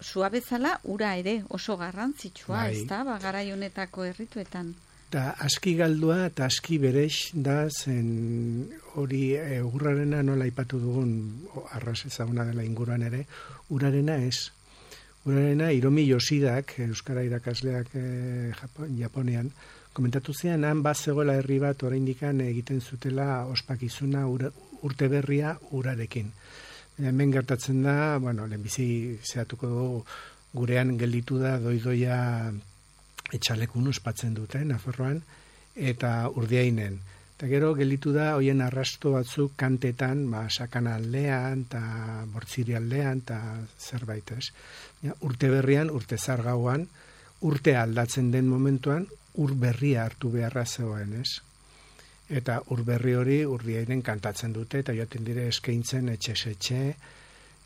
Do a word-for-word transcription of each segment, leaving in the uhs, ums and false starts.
sua bezala ura ere oso garrantzitsua, bai. ez da, ba, garai honetako herrituetan. Da, aski galdua eta aski berex da, zen hori e, urrarena nola aipatu dugun, arras ezaguna dela inguruan ere, urarena ez. Urarena Hiromi Yoshidak, euskara irakasleak e, Japon, Japonean, komentatu zean, han bat zegoela herri bat oraindikan egiten zutela ospakizuna ura, urte berria urarekin. Hemen gertatzen da, bueno, lehenbizi zehatuko dugu, gurean gelditu da doidoia etxalekun ospatzen dute, Nafarroan, eta Urdiainen. Eta gero gelditu da, hoien arrasto batzuk kantetan, ba, Sakana aldean, eta Bortziri aldean, eta zerbait ez. Ja, urte berrian, urte zargauan, urte aldatzen den momentuan, ur berria hartu beharra zegoen, ez? Eta ur berri hori Urdiainen kantatzen dute, eta joaten dire eskaintzen etxe-etxe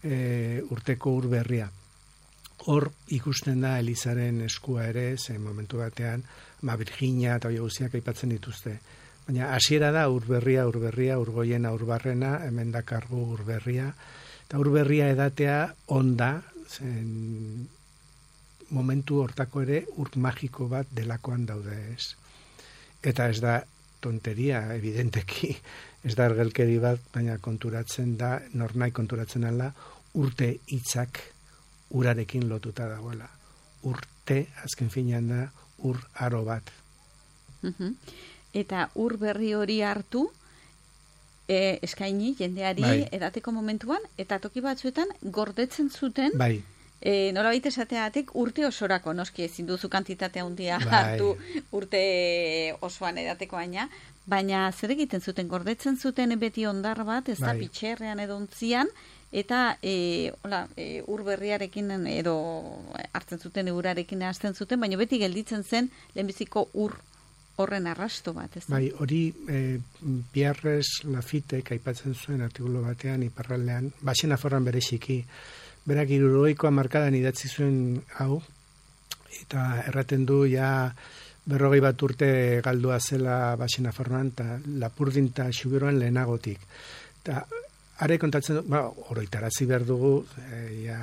e, urteko ur berria. Hor ikusten da Elizaren eskua ere, zen momentu batean, ma Virginia eta hori guztiak aipatzen dituzte. Baina hasiera da urberria, urberria, urgoiena, urbarrena, hemen dakargu urberria. Eta urberria edatea onda, zen momentu hortako ere ur magiko bat delakoan daude ez. Eta ez da tonteria, evidenteki, ez da ergelkeri bat, baina konturatzen da, nornai konturatzen ala, urte hitzak urarekin lotuta dagoela. Urte, azken finean da, ur aro bat. Uh-huh. Eta ur berri hori hartu, e, eskaini jendeari bai. edateko momentuan, eta toki batzuetan gordetzen zuten, bai. e, nolabait esateatik urte osorako, noski ezin duzu kantitatea handia bai. hartu urte osoan edateko baina, baina zer egiten zuten, gordetzen zuten beti ondar bat, ez da bai. pitxerrean edo ontzian, eta e, hola, e, ur berriarekin edo hartzen zuten urarekin hasten zuten, baina beti gelditzen zen lehenbiziko ur horren arrasto bat, ez da? Bai, hori e, Pierres Lafitek aipatzen zuen artikulu batean iparraldean, Baxen Nafarroan bereziki, berak hirurogeikoa markadan idatzi zuen hau, eta erraten du ja berrogei bat urte galdua zela Baxen Nafarroan, eta Lapurdin eta Xubiroan lehenagotik. Eta are kontatzen du, ba, oroitarazi behar dugu, e, ja,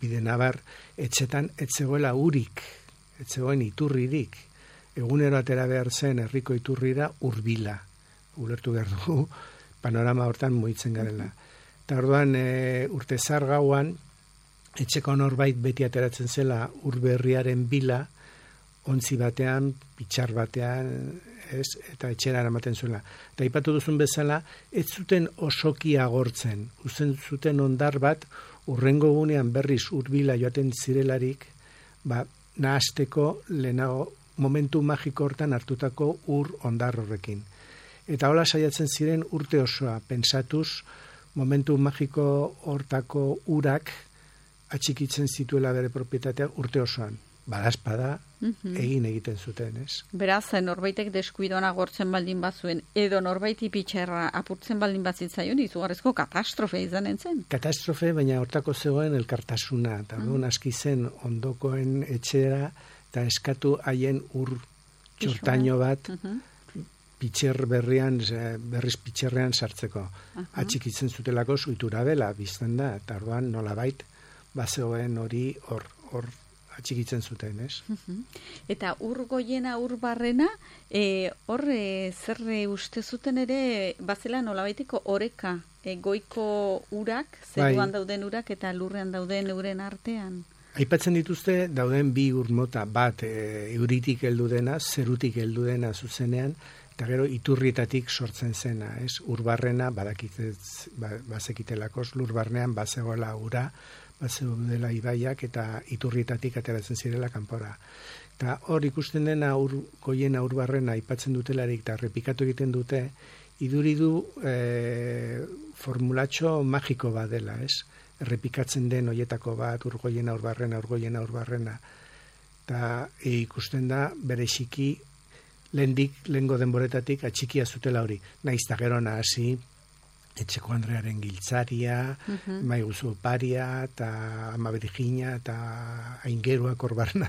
bide nabar, etxetan etzegoela urik, etzegoen iturririk. Egunero atera behar zen herriko iturrira urbila. Ulertu behar dugu, panorama hortan mugitzen garela. Eta orduan, e, urte zar gauan, etxeko norbait beti ateratzen zela urberriaren bila, ontzi batean, pitxar batean, ez, eta etxera eramaten zuela. Eta aipatu duzun bezala, ez zuten osoki agortzen, uzen zuten ondar bat, urrengo gunean berriz urbila joaten zirelarik, ba, nahasteko lehenago momentu magiko hortan hartutako ur ondar horrekin. Eta hola saiatzen ziren urte osoa, pensatuz, momentu magiko hortako urak atxikitzen zituela bere propietatea urte osoan. Badazpada, mm-hmm. egin egiten zuten, ez? Beraz, norbaitek deskuidoan agortzen baldin bazuen, edo norbaiti pitxerra apurtzen baldin bazitzaion, izugarrizko katastrofe izan zen. Katastrofe, baina hortako zegoen elkartasuna, eta mm. duen aski zen ondokoen etxera, eta eskatu haien ur txortaino bat, mm-hmm. pitxer berrian, berriz pitxerrean sartzeko. Uh-huh. Atxikitzen zutelako zuitura bela, bizten da, eta orduan nolabait, bazegoen hori hor, hor, atxikitzen zuten, ez? Eta ur goiena, ur barrena, e, hor e, zer uste zuten ere, bazela nolabaiteko oreka, e, goiko urak, zeruan bai. Dauden urak, eta lurrean dauden euren artean. Aipatzen dituzte, dauden bi ur mota, bat e, euritik heldu dena, zerutik heldu dena zuzenean, eta gero iturrietatik sortzen zena, ez? Urbarrena, badakitez, ba, bazekitelakos, lurbarnean bazegoela ura, bazeu dela ibaiak eta iturrietatik ateratzen zirela kanpora. Eta hor ikusten dena ur, goiena urbarrena aipatzen dutelarik eta repikatu egiten dute, iduridu e, formulatxo magiko bat dela, ez? Errepikatzen den hoietako bat, urgoiena urbarrena, urgoiena urbarrena. Eta e, ikusten da bereziki lehendik, lehengo denboretatik atxikia zutela hori. Naiz eta gero nahasi, Etxeko Andrearen giltzaria, uh-huh. Maiguzu oparia, eta Ama Virginia, eta aingeruak orbarna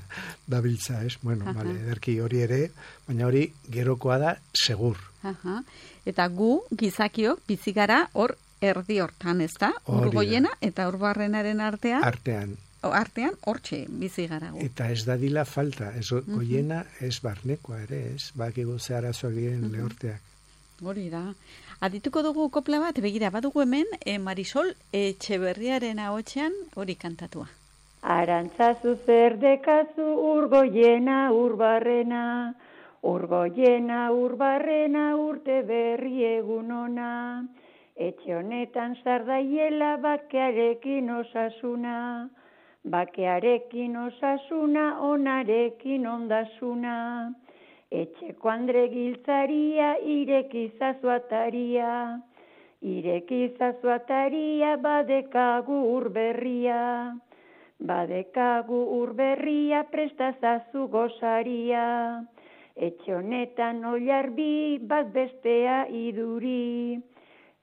dabiltza, ez? Bueno, uh-huh. Vale, ederki hori ere, baina hori gerokoa da segur. Uh-huh. Eta gu, gizakiok, bizigara hor erdi hortan, ez da? Urgoiena eta urbarrenaren artean? Artean. artean hortxe bizi gara. Eta ez dadila falta, ez goiena ez barnekoa ere, ez, bakigu ze arazoak diren lehorteak. Hori da. Adituko dugu kopla bat, begira, badugu hemen, e, Marisol Etxeberriaren ahotsean hori kantatua. Arantzazu zer dekazu urgoiena urbarrena, urgoiena urbarrena urte berri egun ona, etxe honetan zardaiela bakearekin osasuna, bakearekin osasuna onarekin ondasuna, etxeko andre giltzaria irekizazu ataria, irekizazu ataria badekagu urberria, badekagu urberria prestazazu gozaria, etxe honetan oilarbi bat bestea iduri,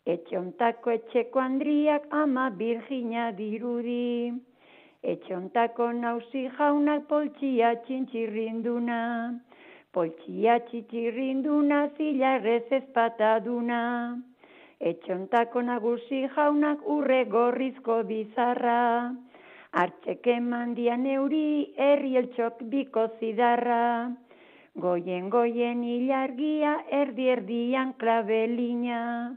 etxe hontako etxeko andriak ama Virgina dirudi, etxe hontako nauzi jaunak poltsia txintxirrinduna, poltsia txintxirrinduna zilarrez ezpataduna, etxe hontako nagusi jaunak urre gorrizko bizarra, hartxeke mandian euri herri eltxok biko zidarra, goien goien ilargia erdi erdian klabelina,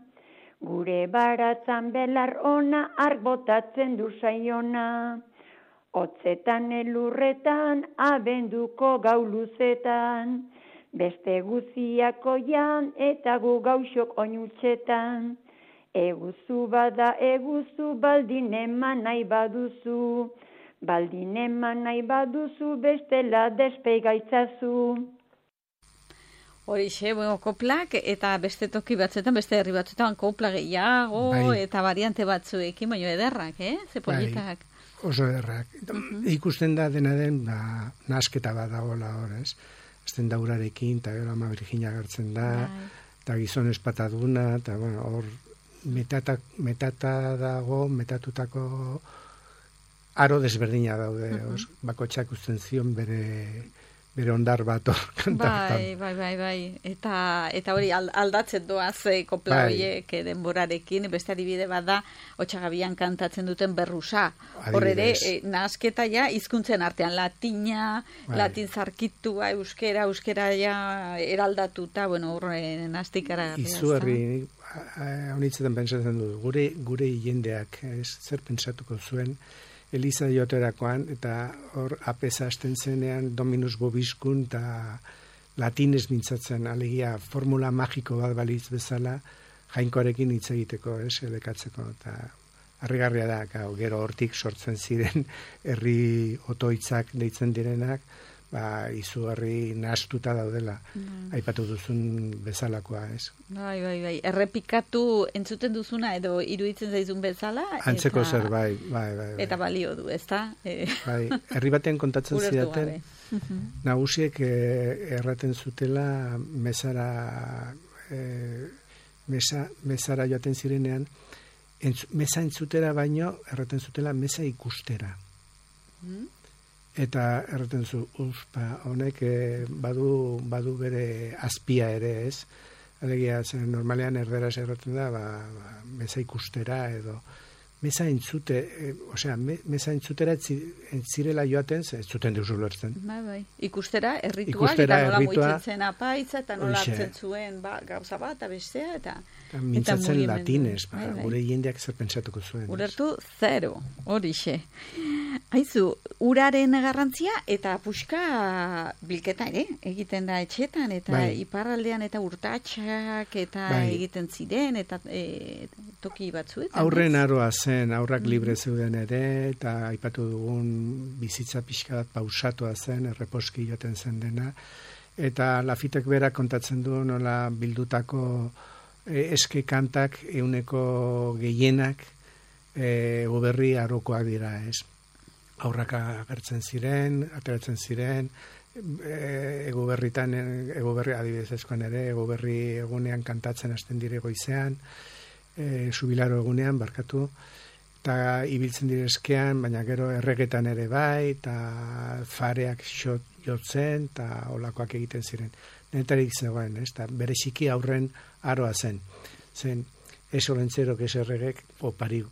gure baratzan belar ona ark botatzen du saiona, hotzetan elurretan abenduko gau luzetan, beste guziako jan eta gu gauzok oinutxetan, eguzu bada eguzu baldin eman nahi baduzu, baldin eman nahi baduzu bestela despeigaitzazu. Horixe, bueno, koplak eta beste toki batzuetan, beste herri batzuetan kopla gehiago bai. Eta variante batzuekin, baina ederrak, eh? Ze politak. Bai, oso ederrak. Uh-huh. Ikusten da dena den, ba, nasketa bat dagoela hor, ez? Azten da urarekin, eta gero ama Virginia gertzen da, eta gizon espataduna, eta bueno, hor metata, metata dago, metatutako aro desberdina daude, uh-huh. os, bakotxak usten zion bere... bere ondar bat hor kantartan. Bai, bai, bai, bai. Eta, eta hori aldatzen doaz eh, kopla bai. Horiek denborarekin, beste adibide bat da, Otxagabian kantatzen duten berrusa. Hor ere, eh, nahasketa ja, hizkuntzen artean, latina, bai. Latin zarkitua, euskera, euskera ja eraldatuta, bueno, horre nahastikara. Izugarri, honitzetan pentsatzen dut, gure, gure jendeak, ez, zer pentsatuko zuen, Eliza joterakoan, eta hor apesa hasten zenean Dominus Bobiskun eta latinez mintzatzen, alegia formula magiko bat balitz bezala jainkoarekin hitz egiteko, ez, elekatzeko, eta harrigarria da, gero hortik sortzen ziren herri otoitzak deitzen direnak, ba, izugarri nahastuta daudela, mm. aipatu duzun bezalakoa, ez? Bai, bai, bai, errepikatu entzuten duzuna edo iruditzen zaizun bezala. Antzeko eta, zer, bai, bai, bai, bai. Eta balio du, ezta? Bai, herri baten kontatzen zidaten, nagusiek eh, erraten zutela mesara, eh, mesa, mesara joaten zirenean, entz, mesa entzutera baino, erraten zutela mesa ikustera. Mm? Eta erraten zu, uspa, honek eh, badu, badu bere azpia ere, ez? Alegia, zen normalean erderaz erraten da, ba, ba, mesa ikustera edo, mesa entzute, eh, osea, me, mesa entzutera entzirela joaten, ez zuten deus ulertzen. Bai, bai, ikustera, errituak, eta nola moitzen apaitza, eta nola hartzen zuen, ba, gauza bat, abestea, eta... Eta mintzatzen latinez, ba, bai, bai. Gure jendeak zer pentsatuko zuen. Ulertu zero, horixe. Haizu, uraren garrantzia eta puxka bilketa ere, egiten da etxetan, eta bai. Iparraldean eta urtatxak eta bai. Egiten ziren, eta e, toki batzuetan. Aurren aroa zen, aurrak libre zeuden ere, eta aipatu dugun bizitza pixka bat pausatua zen, erreposki joten zen dena, eta Lafitek berak kontatzen du nola bildutako e, eske kantak euneko gehienak e, goberri arokoak dira, ez? Aurrak agertzen ziren, ateratzen ziren, ego berritan, ego berri adibidez ezkoan ere, ego berri egunean kantatzen hasten dire goizean, e, subilaro egunean, barkatu, eta ibiltzen direzkean, baina gero erregetan ere bai, eta fareak xot, jotzen, eta olakoak egiten ziren. Netarik zegoen, ez, eta bereziki aurren aroa zen. Zen, ez olentzerok, ez erregek, opari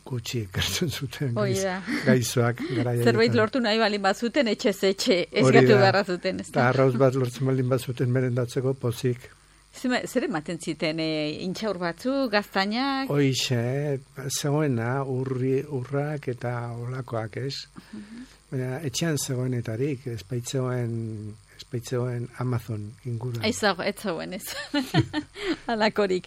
gutxi ekartzen zuten Hoi gaiz, da. gaizoak. Zerbait lortu nahi balin bazuten, etxez etxe, esgatu beharra zuten. Eta arrauz bat lortzen balin bazuten merendatzeko pozik. Zer ematen ziten, e, intxaur batzu, gaztainak? Hoixe, zegoena, urri, urrak eta olakoak, ez? Baina, etxean zegoenetarik, espaitzeoen, espaitzeoen Amazon inguruan. Ez zago, ez zagoen ez. Alakorik.